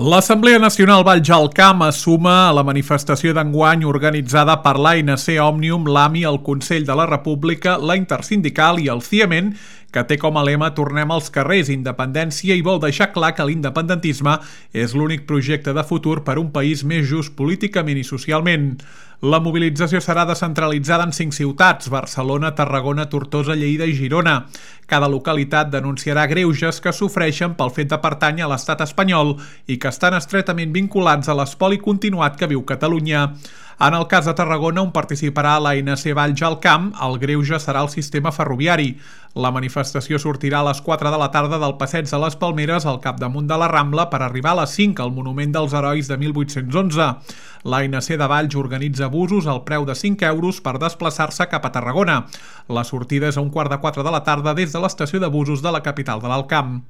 L'Assemblea Nacional Valls al Camp es suma a la manifestació d'enguany organitzada per l'ANC Òmnium, l'AMI, el Consell de la República, la Intersindical i el CIEMEN, que té com a lema "Tornem als carrers, independència", i vol deixar clar que l'independentisme és l'únic projecte de futur per un país més just políticament i socialment. La mobilització serà descentralitzada en 5 ciutats: Barcelona, Tarragona, Tortosa, Lleida i Girona. Cada localitat denunciarà greuges que sofreixen pel fet de pertànyer a l'estat espanyol i que estan estretament vinculats a l'espoli continuat que viu Catalunya. En el cas de Tarragona, on participarà l'ANC Valls al Camp, el greuge serà el sistema ferroviari. La manifestació sortirà a les 4 de la tarda del Passeig de les Palmeres al capdamunt de la Rambla per arribar a les 5 al Monument dels Herois de 1811. L'ANC de Valls organitza busos al preu de 5 euros per desplaçar-se cap a Tarragona. La sortida és a 3:15 de la tarda des de l'estació de busos de la capital de l'Alt Camp.